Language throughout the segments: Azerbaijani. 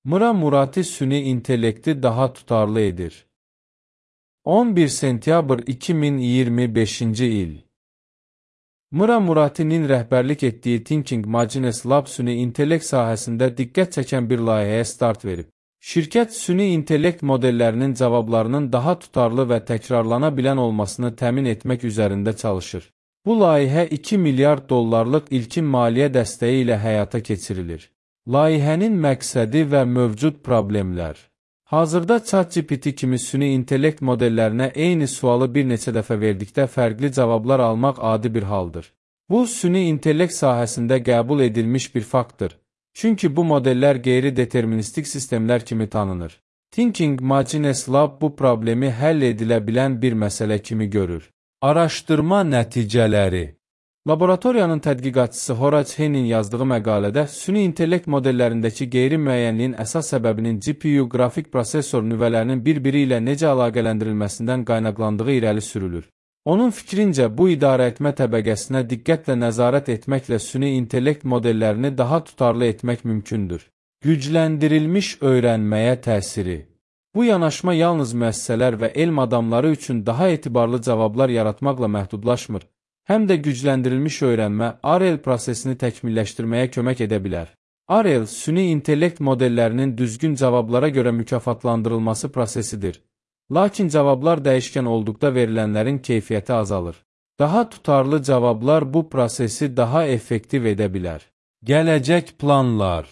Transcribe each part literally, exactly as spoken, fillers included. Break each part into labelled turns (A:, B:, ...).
A: Mıra Murati süni intellekti daha tutarlı edir. on bir sentyabr iki min iyirmi beşinci il. Mıra Murati'nin rəhbərlik etdiyi Thinking Machines Lab süni intellekt sahəsində diqqət çəkən bir layihəyə start verib. Şirkət süni intellekt modellərinin cavablarının daha tutarlı və təkrarlana bilən olmasını təmin etmək üzərində çalışır. Bu layihə iki milyard dollarlıq ilkin maliyyə dəstəyi ilə həyata keçirilir. Layihənin məqsədi və mövcud problemlər. Hazırda ChatGPT kimi süni intellekt modellərinə eyni sualı bir neçə dəfə verdikdə fərqli cavablar almaq adi bir haldır. Bu, süni intellekt sahəsində qəbul edilmiş bir faktdır. Çünki bu modellər qeyri-deterministik sistemlər kimi tanınır. Thinking Machines Lab bu problemi həll edilə bilən bir məsələ kimi görür. Araşdırma nəticələri. Laboratoriyanın tədqiqatçısı Horace Hennin yazdığı məqalədə süni intellekt modellərindəki qeyri-müəyyənliyin əsas səbəbinin G P U qrafik prosesor nüvələrinin bir-biri ilə necə əlaqələndirilməsindən qaynaqlandığı irəli sürülür. Onun fikrincə, bu idarəetmə təbəqəsinə diqqətlə nəzarət etməklə süni intellekt modellərini daha tutarlı etmək mümkündür. Gücləndirilmiş öyrənməyə təsiri. Bu yanaşma yalnız müəssisələr və elm adamları üçün daha etibarlı cavablar yaratmaqla məhdudlaşmır, həm də gücləndirilmiş öyrənmə R L prosesini təkmilləşdirməyə kömək edə bilər. R L, süni intellekt modellərinin düzgün cavablara görə mükafatlandırılması prosesidir. Lakin cavablar dəyişkən olduqda verilənlərin keyfiyyəti azalır. Daha tutarlı cavablar bu prosesi daha effektiv edə bilər. Gələcək planlar.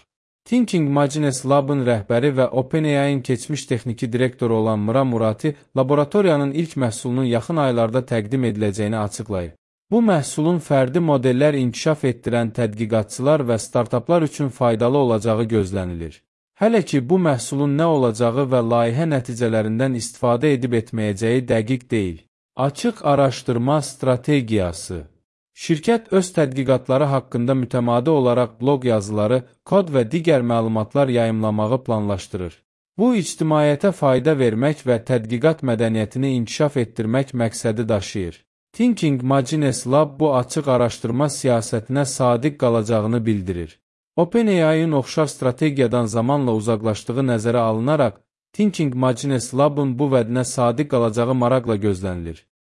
A: Thinking Machines Lab'ın rəhbəri və OpenAI'nin keçmiş texniki direktoru olan Mıra Murati, laboratoriyanın ilk məhsulunun yaxın aylarda təqdim ediləcəyini açıqlayıb. Bu məhsulun fərdi modellər inkişaf etdirən tədqiqatçılar və startaplar üçün faydalı olacağı gözlənilir. Hələ ki, bu məhsulun nə olacağı və layihə nəticələrindən istifadə edib etməyəcəyi dəqiq deyil. Açıq araşdırma strategiyası. Şirkət öz tədqiqatları haqqında mütəmadi olaraq bloq yazıları, kod və digər məlumatlar yayımlamağı planlaşdırır. Bu, ictimaiyyətə fayda vermək və tədqiqat mədəniyyətini inkişaf etdirmək məqsədi daşıyır. Thinking Machines Lab bu açıq araşdırma siyasətinə sadiq qalacağını bildirir. OpenAI'nin oxşar strategiyadan zamanla uzaqlaşdığı nəzərə alınaraq, Thinking Machines Lab'ın bu vədinə sadiq qalacağı maraqla gözlənilir.